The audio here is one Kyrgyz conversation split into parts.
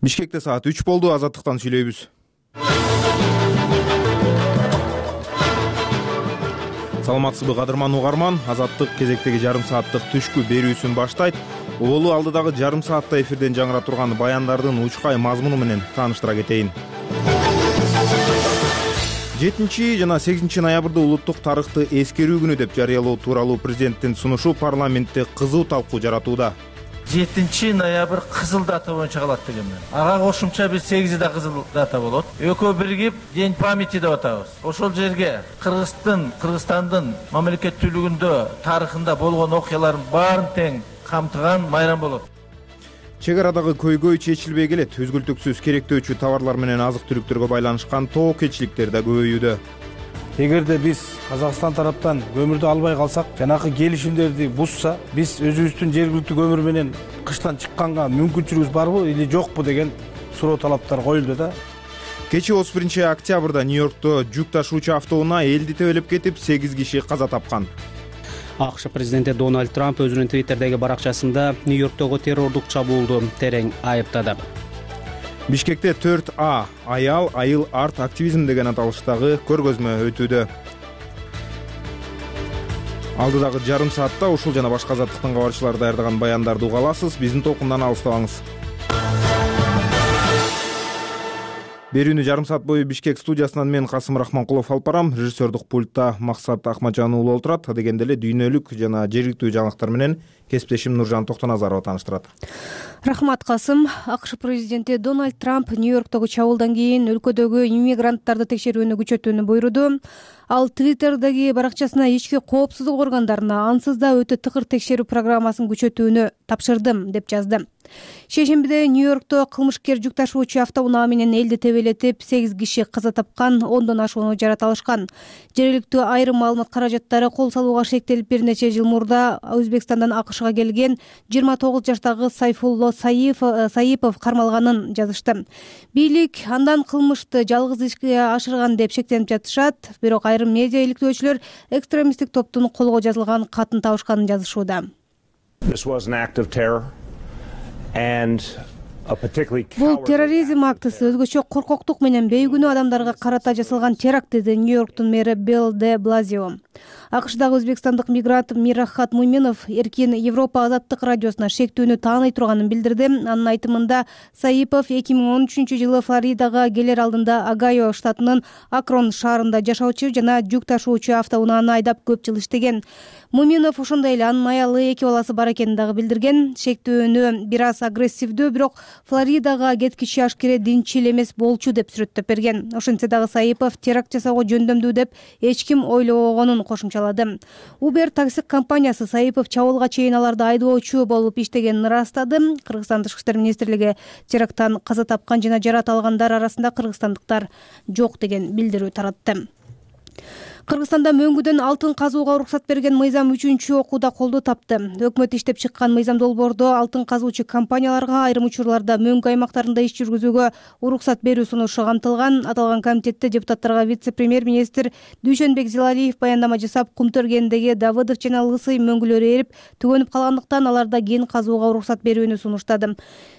Бишкекте саат 3 болду. Азаттыктан сүйлөйбүз. Саламатсызбы кадырман угарман? Азаттык кезектеги жарым сааттык түшкү берүүсүн баштайт. Улуу алдыдагы жарым саатта эфирден жаңыра турган баяндардын учкай мазмуну менен тааныштыра кетейин. 7 жана 8 ноябрда улуттук тарыхты эскерүү күнү деп жарыялоо тууралуу президенттин сунушу парламентте кызуу талкуу жаратууда. 7 ноябрь кызыл дата боюнча калат деген мен. Ага кошумча биз 8 да кызыл дата болот. Экөө биригип День памяти деп атабыз. Ошол жерге Кыргызстандын мамлекеттүүлүгүндө тарыхында болгон окуялардын баарын тең камтыган майрам болот. Чек арадагы көйгөй чечилбей келет. Үзгүлтүксүз керектөөчү товарлар менен азык-түлүктөргө байланышкан тоо кетчиликтер да көбөйүүдө. Эгерде биз Казакстан тараптан көмүрдү албай калсак, жанакы келишимдерди бузса, биз өзүбүздүн жергиликтүү көмүр менен кыштан чыкканга мүмкүнчүлүгүбүз барбы или жокпу деген суроо талаптар коюлду да. Кечээ 31 октябрда Нью-Йоркто жүк ташуучу автоунаа элди тебелеп кетип, 8 киши каза тапкан. АКШ президенти Дональд Трамп өзүнүн Твиттердеги баракчасында Нью-Йорктогу террордук чабуулду терең айыптады. Бишкекте 4А аял айыл арт активизм деген аталыштагы көргөзмө өтүүдө. Алдыдагы жарым саатта ушул жана башка азаттыктын кабарчылары даярдаган баяндарды уга аласыз. Биздин толкундан алыстабаңыз. Берүүнү жарым саат бою Бишкек студиясынан мен Касым Рахманкулов алып барам. Режиссердик пультта Максат Ахматжан уулу отурат. Дегенде эле дүйнөлүк жана жергиликтүү жаңылыктар менен кесиптешим Нуржан Токтоназарова тааныштырат. Рахмат, Касым. АКШ президенти Дональд Трамп Нью-Йорктогу чабуулдан кийин өлкөдөгү иммигранттарды текшерүүнү күчөтүүнү буйруду. Ал Твиттердеги баракчасына ички коопсуздук органдарына ансыз да өтө тыкыр текшерүү программасын күчөтүүнү тапшырдым деп жазды. Шейшембиде Нью-Йоркто кылмышкер жүк ташуучу автоунаа менен элди тебелетип, 8 киши каза тапкан, 10дон ашууну жарат алышкан. Жергиликтүү айрым маалымат каражаттары кол салууга шектелип, бир нече жыл мурда Өзбекстандан АКШга келген 29 жаштагы Сайфулло Саипов кармалганын жазышты. Бийлик андан кылмышты жалгыз ишке ашырган деп шектенип жатышат, бирок айрым медиа иликтөөчүлөр экстремисттик топтун колго жазылган катын табышканын жазышууда. Бул терроризм актысы өзгөчө коркоктук менен бейгүнөө адамдарга карата жасалган теракт, деди Нью-Йорктун мэри Билл де Блазио. АКШдагы өзбекстандык мигрант Мирахат Муминов Эркин Европа азаттык радиосуна шектүүнү тааный турганын билдирди. Анын айтымында Саипов 2013 жылы Флоридага келер алдында Огайо штатынын Акрон шаарында жашоочу жана жүк ташуучу автоунааны айдап көп жыл иштеген. Муминов ошондой эле анын аялы 2 баласы бар экенин дагы билдирген. Шектүүнү бир аз агрессивдүү, бирок Флоридага кеткичи ашкере динчил эмес болчу деп сүрөттөп берген. Ошентсе дагы Саипов теракт жасоого жөндөмдүү деп эч ким ойлобогонун кошумчалады. Uber такси компаниясы Саипов чабуулга чейин аларды айдоочу болуп иштегенин ырастады. Кыргызстан Тышкы иштер министрлиги теракттан каза тапкан жана жарат алгандар арасында кыргызстандыктар жок деген билдирүү таратты. Кыргызстанда мөңгүдөн алтын казууга уруксат берген мыйзам 3-окууда колдоо тапты. Өкмөт иштеп чыккан мыйзам долбоордо алтын казуучу компанияларга айрым учурларда мөңгү аймактарында иш жүргүзүүгө уруксат берүү сунушу камтылган. Аталган комитетте депутаттарга вице-премьер-министр Дүйшөнбек Зилалиев баяндама жасап, Кумтөргендеги Давыдов жана Лысый мөңгүлөрү эрип түгөнүп калгандыктан аларда кен казууга уруксат берүүнү сунуштады.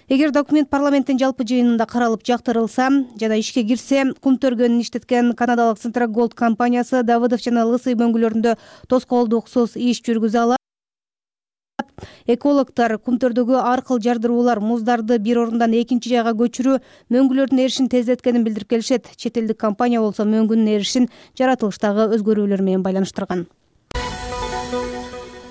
Эгер документ парламенттин жалпы жыйынында каралып жактырылса жана ишке кирсе, Кумтөргөнүн иштеткен канадалык Центрагольд компаниясы Давыдов жана Лысый мөңгүлөрүндө тоскоолдуксуз иш жүргүзө алат. Экологтор Кумтөрдөгү ар кыл жардыруулар, муздарды бир орундан экинчи жайга көчүрүү мөңгүлөрдүн эришин тездеткенин билдирип келишет. Чет элдик компания болсо мөңгүнүн эришин жаратылыштагы өзгөрүүлөр менен байланыштырган.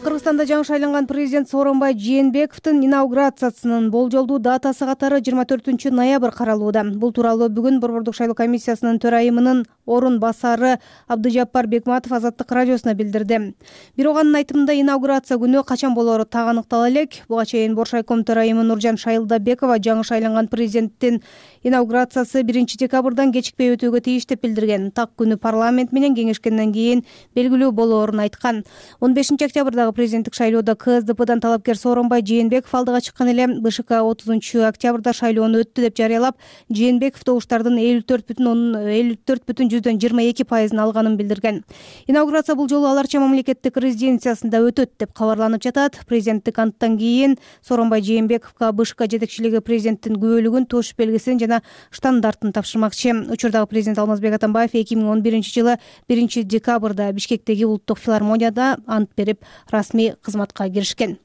Кыргызстанда жаңы шайланган президент Сооронбай Жээнбековдун инаугурациясынын болжолдуу датасы катары 24 ноябрь каралууда. Бул тууралуу бүгүн Борбордук шайлоо комиссиясынын төрайымынын орун басары Абдыжаппар Бекматов Азаттык радиосуна билдирди. Бирок анын айтымында инаугурация күнү качан болоору так аныктала элек. Буга чейин Боршайком төрайымы Нуржан Шайылдабекова жаңы шайланган президенттин инаугурациясы 1 декабрдан кечикпей өтүүгө тийиш деп билдирген. Так күнү парламент менен кеңешкенден кийин белгилүү болоорун айткан. 15 октябрдагы президент президенттик шайлоодо КСДПдан талапкер Сооронбай Жээнбеков алдыга чыккан эле. БШК 30-октябрда шайлоону өттү деп жарыялап, Жээнбеков добуштардын 54,22% алганын билдирген. Инаугурация бул жолу аларча мамлекеттик резиденциясында өтөт деп кабарланып жатат. Президенттик анттан кийин Сооронбай Жээнбековго БШК жетекчилиги президенттин күбөлүгүн, туш белгисин жана штандартын тапшырмакчы. Учурдагы президент Алмазбек Атамбаев 2011-жылы 1-декабрда Бишкектеги улуттук филармонияда ант берип, расмий кызматка киришкен.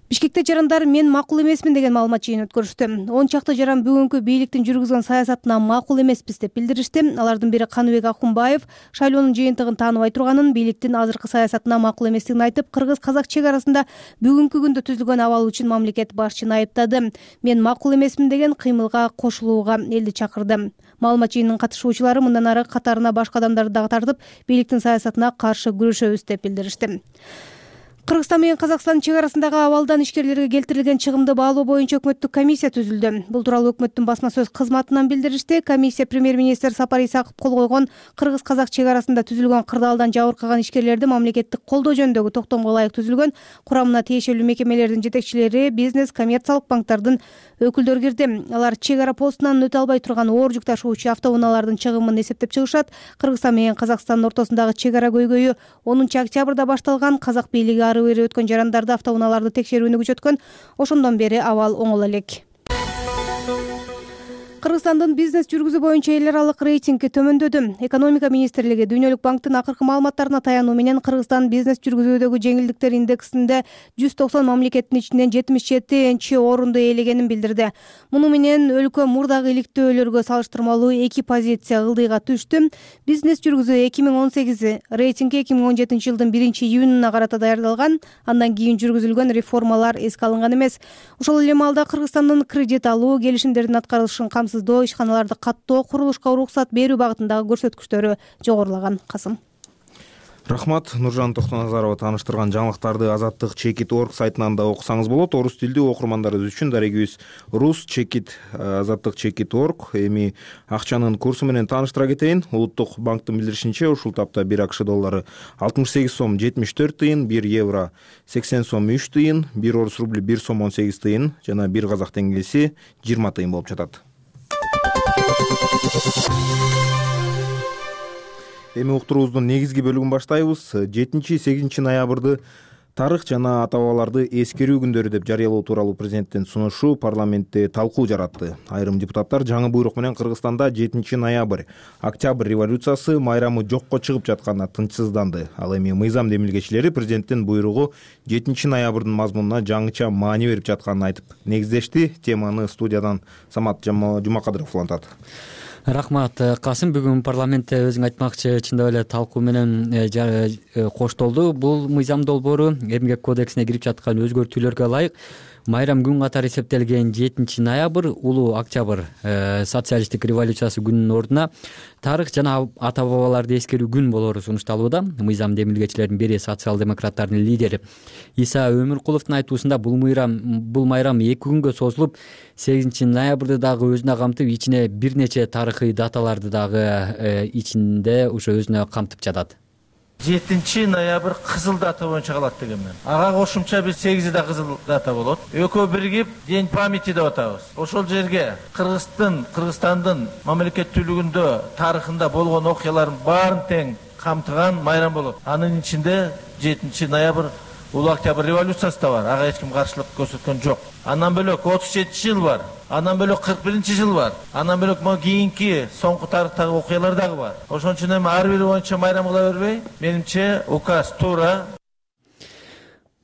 Бишкекте жарандар мен макул эмесмин деген маалымат жыйын өткөрүштү. 10 чакты жаран бүгүнкү бийликтин жүргүзгөн саясатына макул эмеспиз деп билдиришти. Алардын бири Каныбек Акунбаев шайлоонун жыйынтыгын тааныбай турганын, бийликтин азыркы саясатына макул эместигин айтып, кыргыз-казак чек арасында бүгүнкү күндө түзүлгөн абал үчүн мамлекет башчыны айыптады. Мен макул эмесмин деген кыймылга кошулууга элди чакырды. Маалымат жыйынынын катышуучулары мындан ары катарына башка адамдарды дагы тартып, бийликтин саясатына каршы күрөшөбүз деп билдиришти. Кыргызстан менен Казакстан чек арасындагы абалдан ишкерлерге келтирилген чыгымды баалоо боюнча өкмөттүк комиссия түзүлдү. Бул тууралуу өкмөттүн басма сөз кызматынан билдиришти. Комиссия премьер-министр Сапар Исаков кол койгон Кыргыз-казак чек арасында түзүлгөн кырдаалдан жабыркаган ишкерлерди мамлекеттик колдоо жөнүндөгү токтомго ылайык түзүлгөн. Курамына тиешелүү мекемелердин жетекчилери, бизнес, коммерциялык банктардын өкүлдөрү кирди. Алар чек ара постунан өтө албай турган оор жүк ташуучу автоунаалардын чыгымын эсептеп чыгышат. Кыргызстан менен Казакстандын ортосундагы чек ара көйгөйү 10-октябрда башталган. Казак бийлиги ары бери өткөн жарандарды, автоунааларды текшерүүнү күчөткөн. Ошондон бери абал оңоло элек. Кыргызстандын бизнес жүргүзүү боюнча эл аралык рейтинги төмөндөдү. Экономика министрлиги Дүйнөлүк банктын акыркы маалыматтарына таянуу менен Кыргызстан бизнес жүргүзүүдөгү жеңилдиктер индексинде 190 мамлекеттин ичинен 77-орунду ээлегенин билдирди. Муну менен өлкө мурдагы иликтөөлөргө салыштырмалуу 2 позиция ылдыйга түштү. Бизнес жүргүзүү 2018 рейтинги 2017 жылдын 1-июнуна карата даярдалган. Андан кийин жүргүзүлгөн реформалар эске алынган эмес. Ошол эле маалда Кыргызстандын кредит алуу, келишимдердин аткарылышын ишканаларды каттоо, курулушка уруксат берүү багытындагы көрсөткүчтөрү жогорулаган. Касым. Рахмат. Нуржан Токтоназарова тааныштырган жаңылыктарды Азаттык Чекит.org сайтынан да окусаңыз болот. Орус тилдүү окурмандарыбыз үчүн дарегибиз Рус Чекит, Азаттык Чекит.org. Эми акчанын курсу менен тааныштыра кетейин. Улуттук банктын билдиришинче, ушул тапта 1 АКШ доллары 68 сом 74 тыйын, 1 евро 80 сом 3 тыйын, 1 орус рубли 1 сом 18 тыйын жана 1 казак теңгеси 20 тыйын болуп жатат. Эми уктуруубуздун негизги бөлүгүн баштайбыз. 7-8 ноябрды тарых жана ата-бабаларды эскерүү күндөрү деп жарыялоо тууралуу президенттин сунушу парламентте талкуу жаратты. Айрым депутаттар жаңы буйрук менен Кыргызстанда 7 ноябрь, октябрь революциясы майрамы жокко чыгып жатканына тынчсызданды. Ал эми мыйзам демилгечилери президенттин буйругу 7 ноябрдын мазмунуна жаңыча маани берип жатканын айтып негиздешти. Теманы студиядан Самат Жумакадыров улантат. Рахмат. Касым, бүгүн парламентте өзүң айтмакчы, чындап эле талкуу менен коштолду. Бул мыйзам долбоору Эмгек кодексине кирип жаткан өзгөртүүлөргө ылайык майрам күн катары эсептелген 7 ноябрь улуу октябрь социалисттик революциясы күнүнүн ордуна тарых жана ата-бабаларды эскерүү күн болору сунушталууда. Мыйзам демилгечилердин бири социал-демократтардын лидери Иса Өмүркуловдун айтуусунда бул майрам 2 күнгө созулуп, 8 ноябрды дагы өзүнө камтып, ичине бир нече тарыхый даталарды дагы ичинде ушу өзүнө камтып жатат. 7 ноябрь кызыл дата боюнча калат деген мен. Ага кошумча биз 8 да кызыл дата болот. Экөө биригип День памяти деп атабыз. Ошол жерге Кыргызстандын мамлекеттүүлүгүндө тарыхында болгон окуялардын баарын тең камтыган майрам болот. Анын ичинде 7 ноябрь улуу октябрь революциясы да бар. Ага эч ким каршылык көрсөткөн жок. Андан бөлөк 37 жыл бар. Андан бөлөк 41 жыл бар. Андан бөлөк могу кийинки соңку тарыхтагы окуялар дагы бар. Ошон үчүн эми ар бири боюнча майрам кыла бербей, менимче указ туура.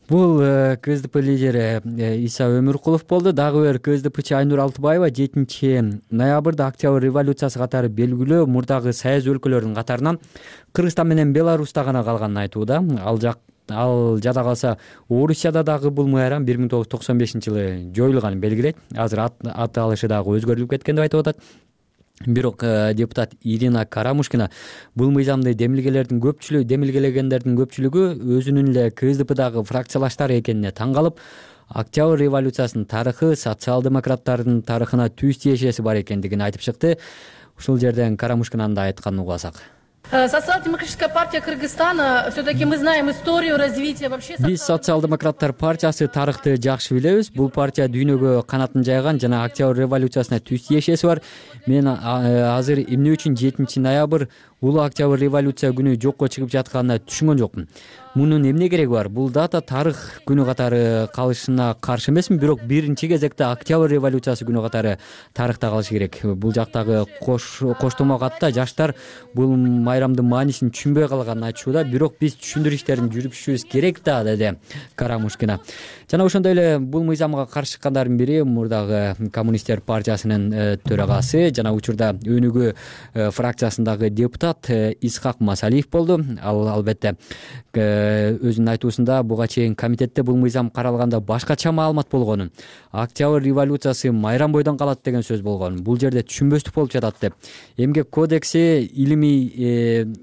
Бул КСДП лидери Иса Өмүркулов болду. Дагы бир КСДПчи Айнур Алтыбаева 7 ноябрда октябрь революциясы катары белгилүү мурдагы союз өлкөлөрүнүн катарынан Кыргызстан менен Беларуста гана калганын айтууда. Ал жада калса Орусияда дагы бул майрам 1995-жылы жоюлганын белгилейт. Азыр ат алышы дагы өзгөрүлүп кеткен деп айтып атат. Бирок депутат Ирина Карамушкина бул мыйзамды демилгелегендердин көпчүлүгү өзүнүн эле КСДПдагы фракциялаштары экенине таң калып, октябрь революциясынын тарыхы социал-демократтардын тарыхына түз тиешеси бар экендигин айтып чыкты. Ушул жерден Карамушкинанын да айтканын угасак. Социал-демократическая партия Кыргызстана, все-таки мы знаем историю развития вообще. Биз социал-демократтар партиясы тарыхты жакшы билебиз. Бул партия дүйнөгө канатын жайган жана Октябрь революциясына түз тиешеси бар. Мен азыр эмне үчүн 7 ноябрь улуу Октябрь революция күнү жокко чыгып жатканына түшүнгөн жокмун. Мунун эмне кереги бар? Бул дата тарых күнү катары калышына каршы эмесмин, бирок биринчи кезекте Октябрь революциясы күнү катары тарыхта калышы керек. Бул жактагы коштомо катта жаштар бул майрамдын маанисин түшүнбөй калганын айтышууда, бирок биз түшүндүрүү иштерин жүргүзүшүбүз керек да, деди Карамушкина. Жана ошондой эле бул мыйзамга каршы чыккандардын бири мурдагы коммунисттер партиясынын төрагасы жана учурда Өнүгүү фракциясындагы депутат Исхак Масалиев болду. Ал албетте өзүнүн айтуусунда буга чейин комитетте бул мыйзам каралганда башкача маалымат болгонун, Октябрь революциясы майрам бойдон калат деген сөз болгон. Бул жерде түшүнбөстүк болуп жатат деп. Эмгек кодекси илимий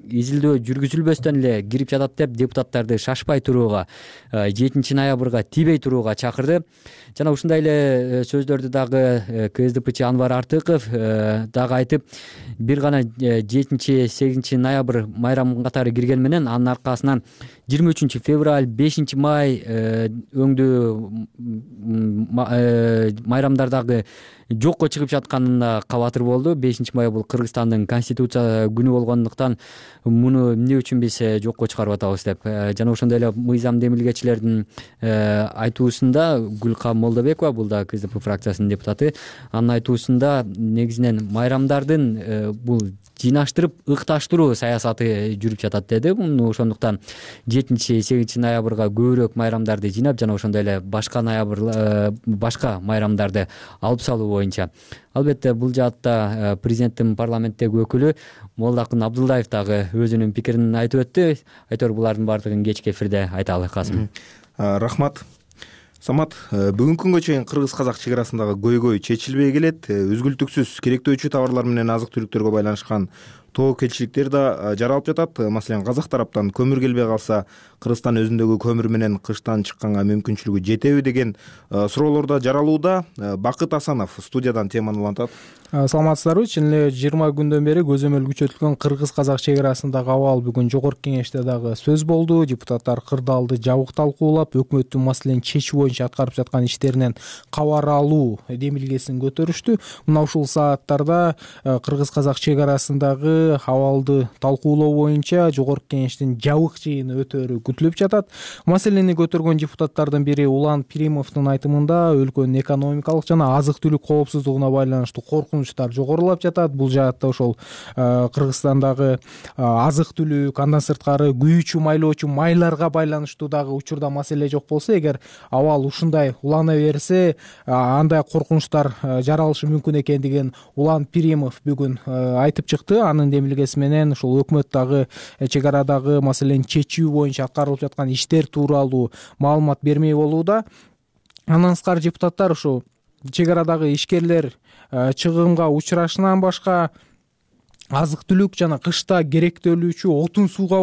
изилдөө жүргүзүлбөстөн эле кирип жатат деп депутаттарды шашпай турууга, 7 ноябрга тийбей турууга чакырды. Жана ушундай эле сөздөрдү дагы КСДПчы Анвар Артыков дагы айтып, бир гана 7-8 ноябрь майрам катары кирген менен анын аркасынан 23 февраль, 5 май өңдүү майрамдар дагы жокко чыгып жатканына кабатыр болду. 5 май бул Кыргызстандын конституция күнү болгондуктан муну эмне үчүн биз жокко чыгарып атабыз деп. Жана ошондой эле мыйзам демилгечилердин айтуусунда Гүлкам Молдобекова, бул да КСДП фракциясынын депутаты, анын айтуусунда негизинен майрамдардын бул жыйнаштырып ыкташтыруу саясаты жүрүп жатат деди. Ошондуктан 7-8 ноябрга көбүрөөк майрамдарды жыйнап жана ошондой эле башка майрамдарды алып салуу боюнча. Албетте бул жаатта президенттин парламенттеги өкүлү Молдокун Абдулдаев дагы өзүнүн пикирин айтып өттү. Айтор булардын баардыгын кечки эфирде айталы. Касым. Рахмат. Самат, бүгүнкү күнгө чейин кыргыз-казак чек арасындагы көйгөй чечилбей келет. Үзгүлтүксүз керектөөчү товарлар менен азык-түлүктөргө байланышкан тоокелчиликтер да жаралып жатат. Маселен, казак тараптан көмүр келбей калса, Кыргызстан өзүндөгү көмүр менен кыштан чыкканга мүмкүнчүлүгү жетеби деген суроолор да жаралууда. Бакыт Асанов студиядан теманы улантат. Саламатсыздарбы? Чын эле 20 күндөн бери көзөмөл күчөтүлгөн кыргыз-казак чек арасындагы абал бүгүн жогорку кеңеште дагы сөз болду. Депутаттар кырдаалды жабык талкуулап, өкмөттүн маселени чечүү боюнча аткарып жаткан иштеринен кабар алуу демилгесин көтөрүштү. Мына ушул сааттарда кыргыз-казак чек арасындагы абалды талкуулоо боюнча жогорку кеңештин жабык жыйыны өтөөрү күтүлүп жатат. Маселени көтөргөн депутаттардын бири Улан Пиримовдун айтымында өлкөнүн экономикалык жана азык-түлүк коопсуздугуна байланыштуу коркунучтар жогорулап жатат. Бул жаатта ошол Кыргызстандагы азык-түлүк, андан сырткары күйүүчү, майлоочу майларга байланыштуу дагы учурда маселе жок болсо, эгер абал ушундай улана берсе, андай коркунучтар жаралышы мүмкүн экендигин Улан Пиримов бүгүн айтып чыкты. Анын демилгеси менен ушул өкмөт дагы чек арадагы маселени чечүү боюнча аткарылып жаткан иштер тууралуу маалымат бермей болууда. Андан сырткары депутаттар ушул чек арадагы ишкерлер чыгымга учурашынан башка азык-түлүк жана кышта керектөлүүчү отун сууга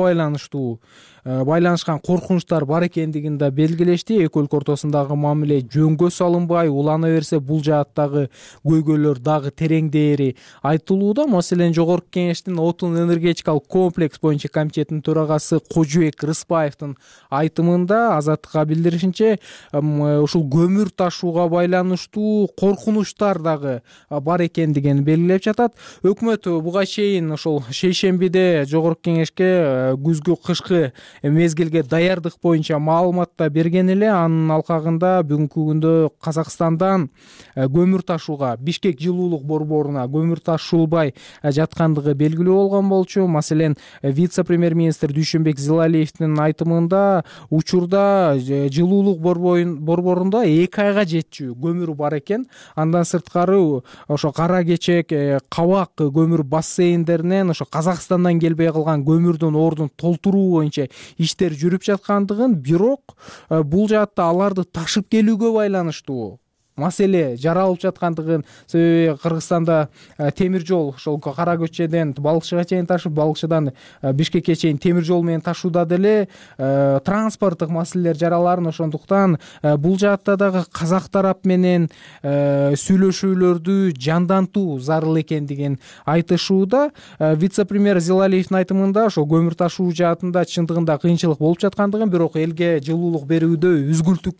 байланышкан коркунучтар бар экендигин да белгилешти. Эки өлкө ортосундагы мамиле жөнгө салынбай улана берсе, бул жааттагы көйгөйлөр дагы тереңдээри айтылууда. Маселен, жогорку кеңештин отун энергетикалык комплекс боюнча комитетинин төрагасы Кожубек Рыспаевдин айтымында Азаттыкка билдиришинче, ушул көмүр ташууга байланыштуу коркунучтар дагы бар экендигин белгилеп жатат. Өкмөт буга чейин ошол шейшембиде жогорку кеңешке күзгү кышкы мезгилге даярдык боюнча маалымат да берген эле. Анын алкагында бүгүнкү күндө Казакстандан көмүр ташууга, Бишкек жылуулук борборуна көмүр ташуулбай жаткандыгы белгилүү болгон болчу. Маселен, вице-премьер-министр Дүйшөнбек Зилалиевдин айтымында учурда жылуулук борборунда 2 айга жетчү көмүр бар экен. Андан сырткары ошо Кара Кечек, Кабак көмүр бассейндеринен ошо Казакстандан келбей калган көмүрдүн ордун толтуруу боюнча иштер жүрүп жаткандыгын, бирок бул жаатта аларды ташып келүүгө байланыштуу маселе жаралып жаткандыгын, себеби Кыргызстанда темир жол ошол Кара көчөдөн Балыкчыга чейин ташып, Балыкчыдан Бишкекке чейин темир жол менен ташууда деле транспорттук маселелер жараларын, ошондуктан бул жаатта дагы казак тарап менен сүйлөшүүлөрдү жандантуу зарыл экендигин айтышууда. Вице-премьер Зилалиевдин айтымында ошо көмүр ташуу жаатында чындыгында кыйынчылык болуп жаткандыгын, бирок элге жылуулук берүүдө үзгүлтүк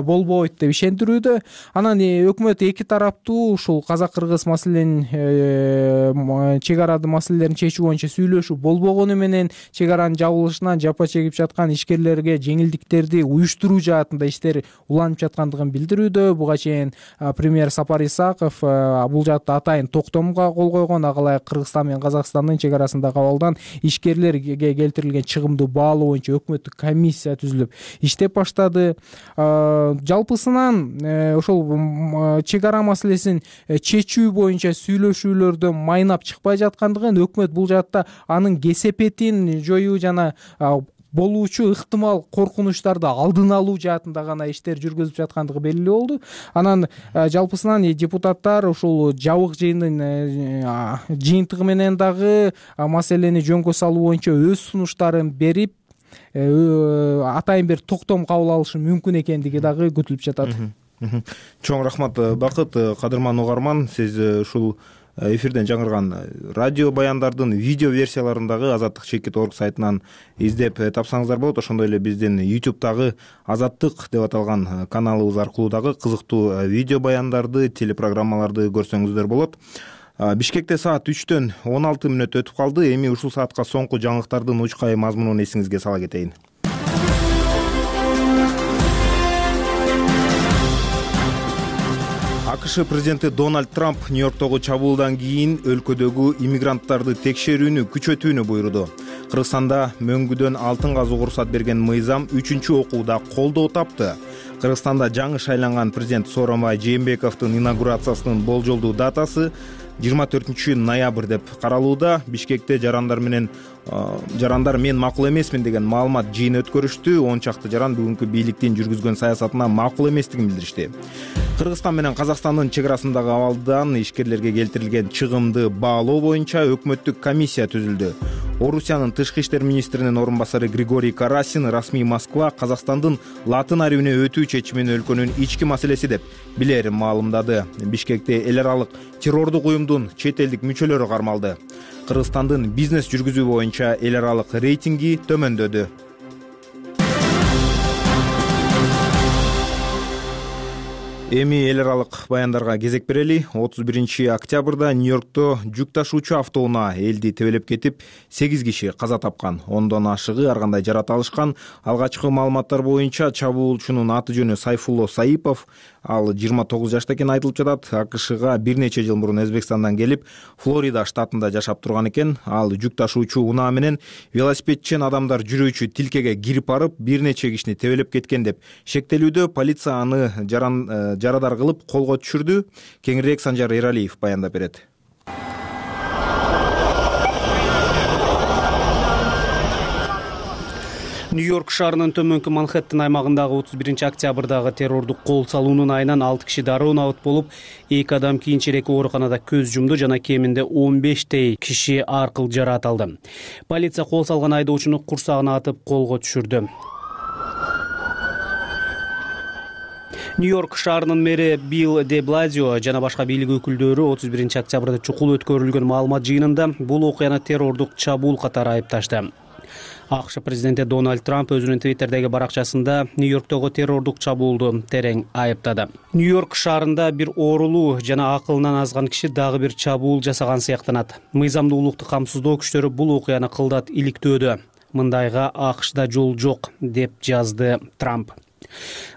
болбойт деп ишендирүүдө. Анан өкмөт эки тараптуу ушул казак-кыргыз маселенин чек арады маселелерин чечүү боюнча сүйлөшүү болбогону менен чек аранын жабылышынан жапа чегип жаткан ишкерлерге жеңилдиктерди уюштуруу жаатында иштер уланып жаткандыгын билдирүүдө. Буга чейин премьер Сапар Исаков бул жаатта атайын токтомго кол койгон. Ага ылайык Кыргызстан менен Казакстандын чек арасындагы абалдан ишкерлерге келтирилген чыгымды баалоо боюнча өкмөттүк комиссия түзүлүп иштеп баштады. Жалпысынан ошол чек ара маселесин чечүү боюнча сүйлөшүүлөрдөн майнап чыкпай жаткандыгын, өкмөт бул жаатта анын кесепетин жоюу жана болуучу ыктымал коркунучтарды алдын алуу жаатында гана иштер жүргүзүп жаткандыгы белгилүү болду. Анан жалпысынан депутаттар ушул жабык жыйындын жыйынтыгы менен дагы маселени жөнгө салуу боюнча өз сунуштарын берип, атайын бир токтом кабыл алышы мүмкүн экендиги дагы күтүлүп жатат. Чоң рахмат Бакыт. Кадырман угарман, сиз ушул эфирден жаңырган радио баяндардын видео версияларын Азаттык чекит орг сайтынан издеп тапсаңыздар болот. Ошондой эле биздин YouTube'дагы Азаттык деп аталган каналыбыз аркылуу дагы кызыктуу видео баяндарды, телепрограммаларды көрсөңүздөр болот. Бишкекте саат 3-төн 16 мүнөт өтүп калды. Эми ушул саатка соңку жаңылыктардын учкай мазмунун эсиңизге сала кетейин. АКШ президенти Дональд Трамп Нью-Йорктогу чабуулдан кийин өлкөдөгү иммигранттарды текшерүүнү күчөтүүнү буйруду. Кыргызстанда мөңгүдөн алтын казууга уруксат берген мыйзам 3-чү окууда колдоо тапты. Кыргызстанда жаңы шайланган президент Сооронбай Жээнбековдун инаугурациясынын болжолдуу датасы 24 ноябрь деп каралууда. Бишкекте жарандар мен макул эмесмин деген маалымат жыйын өткөрүштү. 10 чакты жаран бүгүнкү бийликтин жүргүзгөн саясатына макул эместигин билдиришти. Кыргызстан менен Казакстандын чек арасындагы абалдан ишкерлерге келтирилген чыгымды баалоо боюнча өкмөттүк комиссия түзүлдү. Орусиянын тышкы иштер министринин орун басары Григорий Карасин расмий Москва Казакстандын латын арабине өтүү чечимин өлкөнүн ички маселеси деп билерин маалымдады. Бишкекте эл аралык террордук уюмдун чет элдик мүчөлөрү кармалды. Кыргызстандын бизнес жүргүзүү боюнча эл аралык рейтинги төмөндөдү. Эми эл аралык баяндарга кезек берели. 31 октябрда Нью-Йоркто жүк ташуучу автоунаа элди тебелеп кетип 8 киши каза тапкан. Ондон ашыгы ар кандай жарат алышкан. Алгачкы маалыматтар боюнча чабуулчунун аты жөнү Сайфулло Саипов. Ал 29 жашта экени айтылып жатат. АКШга бир нече жыл мурун Өзбекстандан келип, Флорида штатында жашап турган экен. Ал жүк ташуучу унаа менен велосипедчен адамдар жүрүүчү тилкеге кирип барып, бир нече кишини тебелеп кеткен деп шектелүүдө. Полиция аны жарадар кылып колго түшүрдү. Кеңирээк Санжар Эралиев баяндап берет. Нью-Йорк шаарынын төмөнкү Манхэттен аймагындагы 31 октябрдагы террордук кол салуунун айынан 6 киши дароо набыт болуп, 2 адам кийинчерээк ооруканада көз жумду жана кеминде 15 киши ар кыл жараат алды. Полиция кол салган айдоочуну курсагына атып колго түшүрдү. Нью-Йорк шаарынын мэри Билл де Блазио жана башка бийлик өкүлдөрү 31 октябрда чукул өткөрүлгөн маалымат жыйынында бул окуяны террордук чабуул катары айыпташты. АКШ президенти Дональд Трамп өзүнүн Твиттердеги баракчасында Нью-Йорктогу террордук чабуулду терең айыптады. Нью-Йорк шаарында бир оорулуу жана акылынан азган киши дагы бир чабуул жасаган сыяктанат. Мыйзамдуулукту камсыздоо күчтөрү бул окуяны кылдат иликтөөдө. Мындайга АКШда жол жок деп жазды Трамп.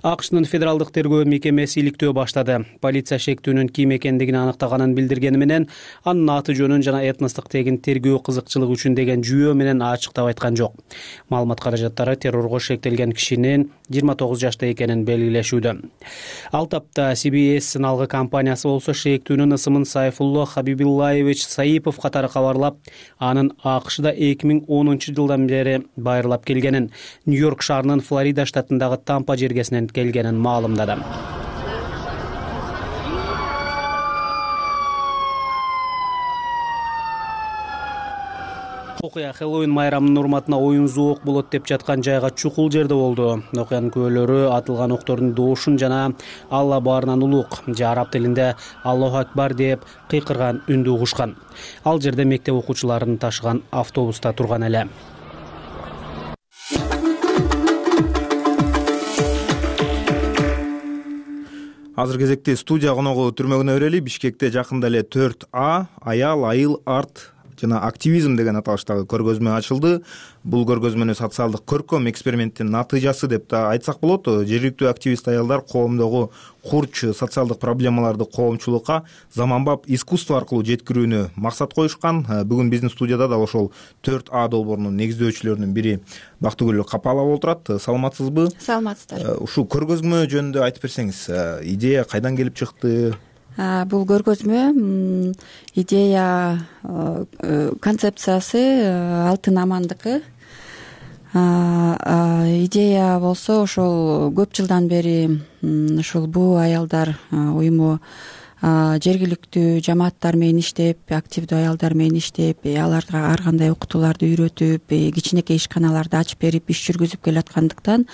АКШнын федералдык тергөө мекемеси иликтөө баштады. Полиция шектүүнүн ким экендигин аныктаганын билдиргени менен анын аты жөнүн жана этностук тегин тергөө кызыкчылыгы үчүн деген жүйө менен ачыктап айткан жок. Маалымат каражаттары террорго шектелген кишинин 29 жашта экенин белгилешүүдө. Ал тапта CBS сыналгы компаниясы болсо шектүүнүн ысымын Сайфулло Хабибуллаевич Саипов катары кабарлап, анын АКШда 2010 жылдан бери байырлап келгенин, Нью-Йорк шаарынын Флорида штатындагы Тампа жергесинен келгенин маалымдады. Окуя Хэллоуин майрамынын урматына оюн зоок болот деп жаткан жайга чукул жерде болду. Окуянын күбөлөрү атылган октордун доошун жана Алла баарынан улук же араб тилинде Аллаху акбар деп кыйкырган үндү угушкан. Ал жерде мектеп окуучуларын ташыган автобуста турган эле. Азыр кезекте студия коногу түрмөгүнө берели. Бишкекте жакында эле 4А аял, айыл, арт жана активизм деген аталыштагы көргөзмө ачылды. Бул көргөзмөнү социалдык көркөм эксперименттин натыйжасы деп да айтсак болот. Жергиликтүү активист аялдар коомдогу курч социалдык проблемаларды коомчулукка заманбап искусство аркылуу жеткирүүнү максат коюшкан. Бүгүн биздин студияда дал ошол 4А долбоорунун негиздөөчүлөрүнүн бири Бактыгүл Капалова отурат. Саламатсызбы? Саламатсыздар. Ушул көргөзмө жөнүндө айтып берсеңиз, идея кайдан келип чыкты? Бул көргөзмө идея концепциясы Алтын Амандыкы. Идея болсо ошол көп жылдан бери ушул буу аялдар уюму жергиликтүү жамааттар менен иштеп, активдүү аялдар менен иштеп, аларга ар кандай окутууларды үйрөтүп, кичинекей ишканаларды ачып берип иш жүргүзүп келаткандыктан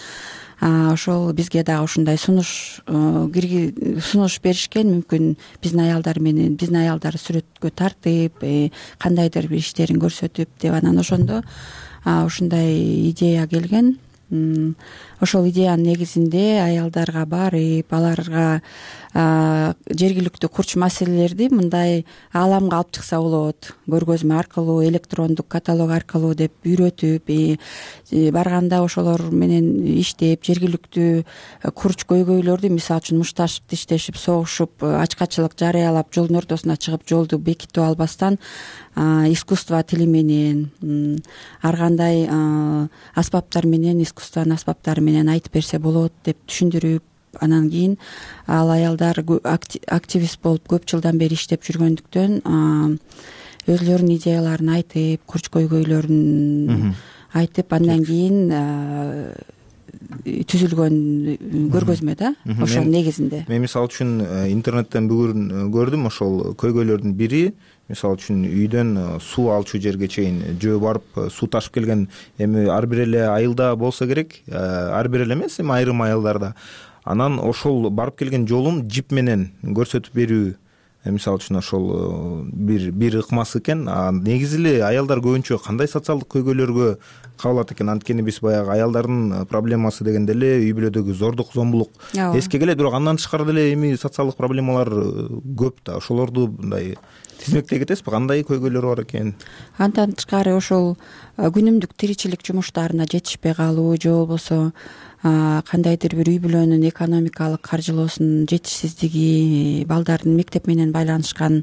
ошол бизге дагы ушундай сунуш беришкен. Мүмкүн биздин аялдар сүрөткө тартып, кандайдыр бир иштерин көрсөтүп деп, анан ошондо ушундай идея келген. Ошол идеянын негизинде аялдарга барып, аларга жергиликтүү курч маселелерди мындай ааламга алып чыкса болот, көргөзмө аркылуу, электрондук каталог аркылуу деп үйрөтүп, барганда ошолор менен иштеп, жергиликтүү курч көйгөйлөрдү, мисалы үчүн мушташып, тиштешип, согушуп, ачкачылык жарыялап, жолдун ортосуна чыгып, жолду бекитип албастан искусство тили менен, ар кандай аспаптар менен, искусствонун аспаптары менен айтып берсе болот деп түшүндүрүп, анан кийин ал аялдар активист болуп көп жылдан бери иштеп жүргөндүктөн өзлөрүнүн идеяларын айтып, курч көйгөйлөрүн айтып, андан кийин түзүлгөн көргөзмө да, ошол негизинде. Мен мисалы үчүн интернеттен бүгүн көрдүм, ошол көйгөйлөрдүн бири, мисалы үчүн үйдөн суу алчу жерге чейин жөө барып суу ташып келген. Эми ар бир эле айылда болсо керек, ар бир эле эмес, эми айрым айылдарда. Анан ошол барып келген жолун жип менен көрсөтүп берүү, мисалы үчүн ошол бир ыкмасы экен. Негизи эле аялдар көбүнчө кандай социалдык көйгөйлөргө кабылат экен? Анткени биз баягы аялдардын проблемасы дегенде эле үй бүлөдөгү зордук, зомбулук эске келет, бирок андан тышкары деле эми социалдык проблемалар көп да. Ошолорду мындай тизмектей кетесизби? Кандай көйгөйлөр бар экен? Андан тышкары ошол күнүмдүк тиричилик жумуштарына жетишпей калуу же болбосо кандайдыр бир үй бүлөнүн экономикалык каржылоосунун жетишсиздиги, балдардын мектеп менен байланышкан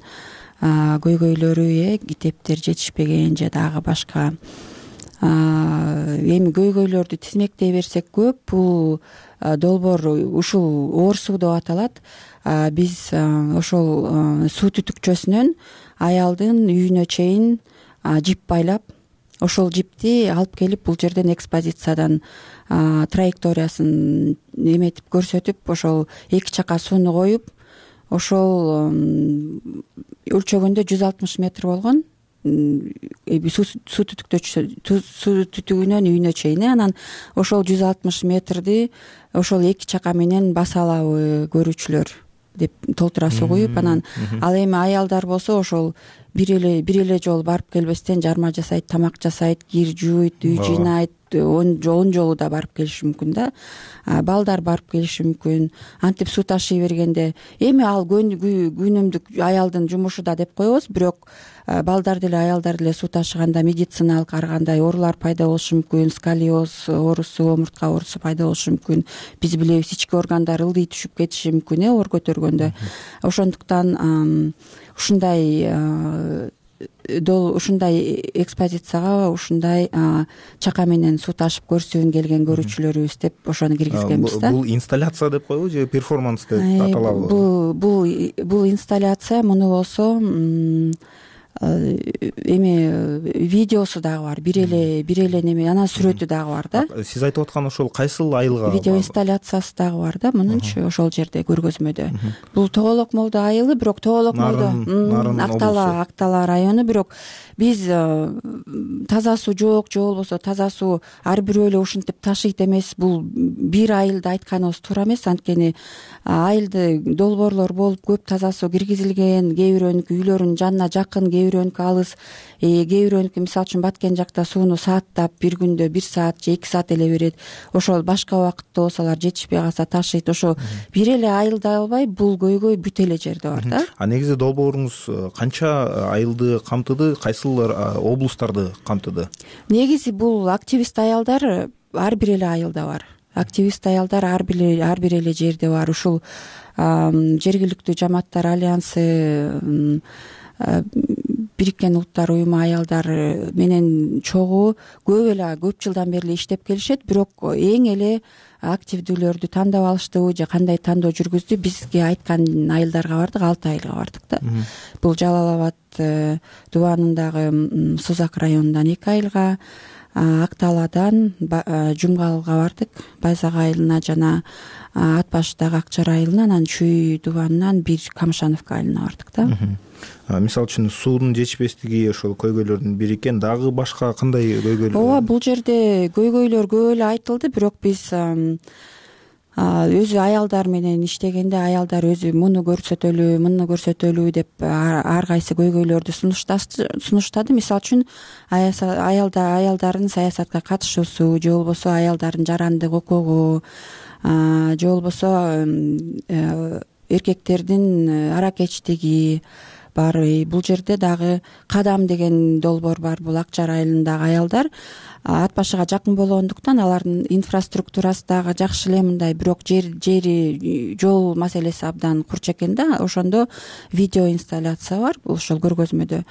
көйгөйлөрү, китептер жетишпеген же дагы башка эми көйгөйлөрдү тизмектей берсек көп. Бул долбоор ушул оор суу деп аталат. Биз ошол суу түтүкчөсүнөн аялдын үйүнө чейин жип байлап, ошол жипти алып келип бул жерден экспозициядан траекториясын эметип көрсөтүп, ошол эки чака сууну коюп, ошол өлчөгөндө 160 метр болгон суу түтүгүнөн үйүнө чейин. Анан ошол 160 метрди ошол эки чака менен баса алабы көрүүчүлөр деп толтура сугуюп, анан ал эми аялдар болсо ошол бир эле жолу барып келбестен жарма жасайт, тамак жасайт, кир жууйт, үй жыйнайт, 10 жолу да барып келиши мүмкүн да. Балдар барып келиши мүмкүн. Антип суу ташый бергенде эми ал күнүмдүк аялдын жумушу да деп коебуз, бирок балдар деле аялдар деле суу ташыганда медициналык ар кандай оорулар пайда болушу мүмкүн, сколиоз оорусу, омуртка оорусу пайда болушу мүмкүн. Биз билебиз, ички органдар ылдый түшүп кетиши мүмкүн оор көтөргөндө. Ошондуктан ушундай экспозицияга ушундай чака менен суу ташып көрсүн келген көрүүчүлөрүбүз деп ошону киргизгенбиз да. Бул инсталляция деп коебу же перформанс деп аталабы? Бул инсталляция. Муну болсо эме видеосу дагы бар, бир эле неме, анан сүрөтү дагы бар да. Сиз айтып аткан ошол кайсыл айылга? Видео инсталляциясы дагы бар да мунунчу ошол жерде көргөзмөдө. Бул Тоголок молдо айылы, бирок Тоголок молдо Актала району, бирок биз таза суу жок же болбосо таза суу ар бирөө эле ушинтип ташыйт эмес. Бул бир айылды айтканыбыз туура эмес, анткени айылды долбоорлор болуп көп таза суу киргизилген, кээ бирөөнүкү үйлөрүнүн жанына жакын, кээ бирөөнүкү алыс, кээ бирөөнүкү мисалы үчүн Баткен жакта сууну сааттап бир күндө 1 саат же 2 саат эле берет. Ошол башка убакытта болсо алар жетишпей калса ташыйт. Ошо бир эле айылда албай бул көйгөй бүт эле жерде бар да. Негизи долбооруңуз канча айылды камтыды, кайсыл облустарды камтыды? Негизи бул активист аялдар ар бир эле айылда бар. Активист аялдар ар бир эле жерде бар. Ушул жергиликтүү жамааттар альянсы, Бириккен Улуттар уюму аялдар менен чогуу көп жылдан бери иштеп келишет, бирок эң эле активдүүлөрдү тандап алыштыбы же кандай тандоо жүргүздү, бизге айткан айылдарга бардык, 6 айылга бардык да. Бул Жалал Абад дубанындагы Сузак районунан 2 айылга, Акталадан Жумгалга бардык, Байзак айылына жана Ат башыдагы Акчар айылына, анан Чүй дубанынан бир Камышановка айылына бардык да. Мисалы үчүн суунун жетишпестиги ошол көйгөйлөрдүн бири экен. Дагы башка кандай көйгөйлөр? Ооба, бул жерде көйгөйлөр көп эле айтылды, бирок биз өзү аялдар менен иштегенде аялдар өзү муну көрсөтөлү деп ар кайсы көйгөйлөрдү сунуштады. Мисалы үчүн аялдардын саясатка катышуусу, же болбосо аялдардын жарандык укугу, же болбосо эркектердин аракечтиги бар. Бул жерде дагы Кадам деген долбоор бар. Бул Акчар айылындагы аялдар Ат башыга жакын болгондуктан алардын инфраструктурасы дагы жакшы эле мындай, бирок жери жол маселеси абдан курч экен да. Ошондо видео инсталляция бар ошол көргөзмөдө.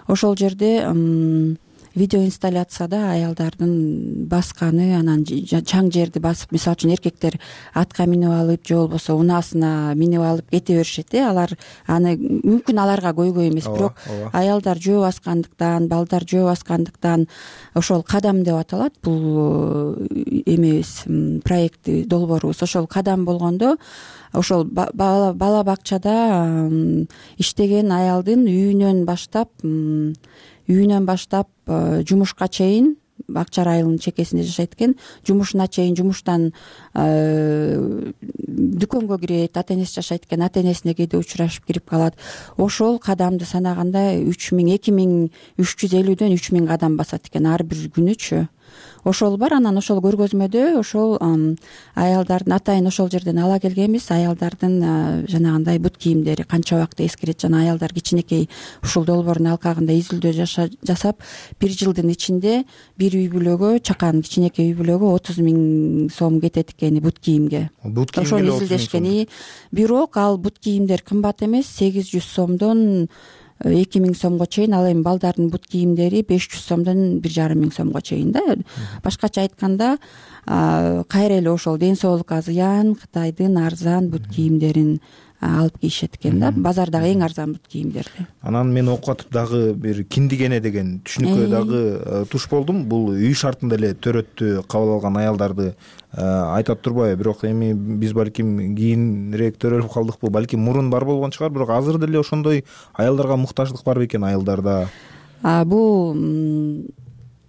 Ошол жерде видео инсталляцияда аялдардын басканы, анан чаң жерди басып, мисалы үчүн эркектер атка минип алып же болбосо унаасына минип алып кете беришет. Алар аны мүмкүн аларга көйгөй эмес, бирок аялдар жөө баскандыктан, балдар жөө баскандыктан ошол Кадам деп аталат. Бул эмебиз, проекти долбоорубуз ошол Кадам болгондо, ошол бала бакчада иштеген аялдын үйүнөн баштап жумушка чейин, Акчар айылынын чекесинде жашайт экен, жумушуна чейин, жумуштан дүкөнгө кирет, ата энеси жашайт экен, ата энесине кээде учурашып кирип калат. Ошол кадамды санаганда 2350дөн 3000 кадам басат экен ар бир күнүчү. Ошол бар. Анан ошол көргөзмөдө ошол аялдардын, атайын ошол жерден ала келгенбиз, аялдардын жанагындай бут кийимдери канча убакта эскирет. Жана аялдар кичинекей ушул долбоордун алкагында изилдөө жасап, 1 жылдын ичинде бир үй бүлөгө, чакан кичинекей үй бүлөгө 30 000 сом кетет экен бут кийимге. Ошону изилдешкен. Бирок ал бут кийимдер кымбат эмес, 800 сомдон 2000 сомго чейин, ал эми балдардын бут кийимдери 500 сомдон 1500 сомго чейин да. Башкача айтканда, кайра эле ошол ден соолукка зыян Кытайдын арзан бут кийимдерин алып кийишет экен да, базардагы эң арзан бут кийимдерди. Анан мен окуп атып дагы бир киндигене деген түшүнүккө дагы туш болдум. Бул үй шартында эле төрөттү кабыл алган аялдарды айтат турбайбы? Бирок эми биз балким кийинирээк төрөлүп калдыкпы, балким мурун бар болгон чыгар, бирок азыр деле ошондой аялдарга муктаждык барбы экен айылдарда? Бул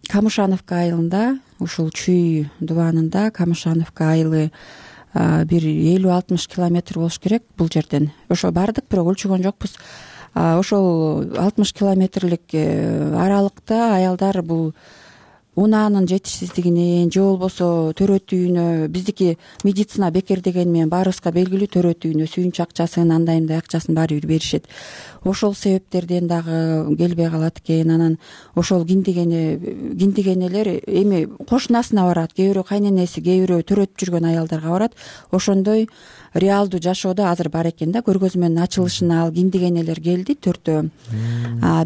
Камышановка айылында, ушул Чүй дубанында Камышановка айылы бир 50-60 километр болуш керек бул жерден. Ошо бардык, бирок өлчөгөн жокпуз. Ошол 60 километрлик аралыкта аялдар бул унаанын жетишсиздигинен же болбосо төрөт үйүнө, биздики медицина бекер дегени менен баарыбызга белгилүү, төрөт үйүнө сүйүнч акчасын, андай мындай акчасын баары бир беришет. Ошол себептерден дагы келбей калат экен. Анан ошол киндигенелер эми кошунасына барат, кээ бирөө кайненеси, кээ бирөө төрөтүп жүргөн аялдарга барат. Ошондой реалдуу жашоодо азыр бар экен да. Көргөзмөнүн ачылышына ал киндигенелер келди, 4-төө.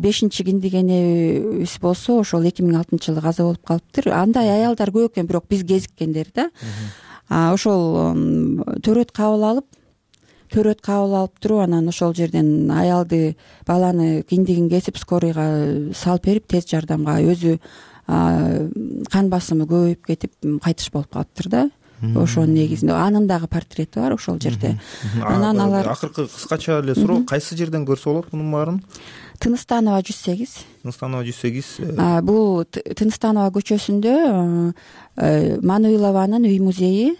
5-чи киндигенебиз болсо ошол 2006-жылы каза болуп калыптыр. Андай аялдар көп экен, бирок биз кезиккендер да. Ошол төрөт кабыл алып, төрөт кабыл алып туруп анан ошол жерден аялды баланы киндигин кесип скорыйга салып берип тез жардамга өзү кан басымы көбөйүп кетип кайтыш болуп калыптыр да. Ошонун негизинде анын дагы портрети бар ошол жерде. Анан алар акыркы кыскача эле суроо, кайсы жерден көрсө болот мунун баарын? Тыныстанова 108. Тыныстанова 108. Бул Тыныстанова көчөсүндө Мануилованын үй музейи.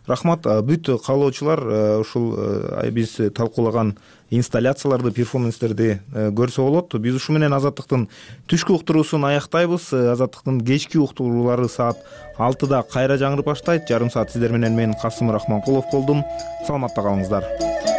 Рахмат. Бүт каалоочулар ушул биз талкуулаган инсталляцияларды, перформанстерди көрсө болот. Биз ушу менен Азаттыктын түшкү уктуруусун аяктайбыз. Азаттыктын кечки уктуруулары саат 6-да кайра жаңырып баштайт. Жарым саат сиздер менен мен Касым Рахманкулов болдум. Саламатта калыңыздар.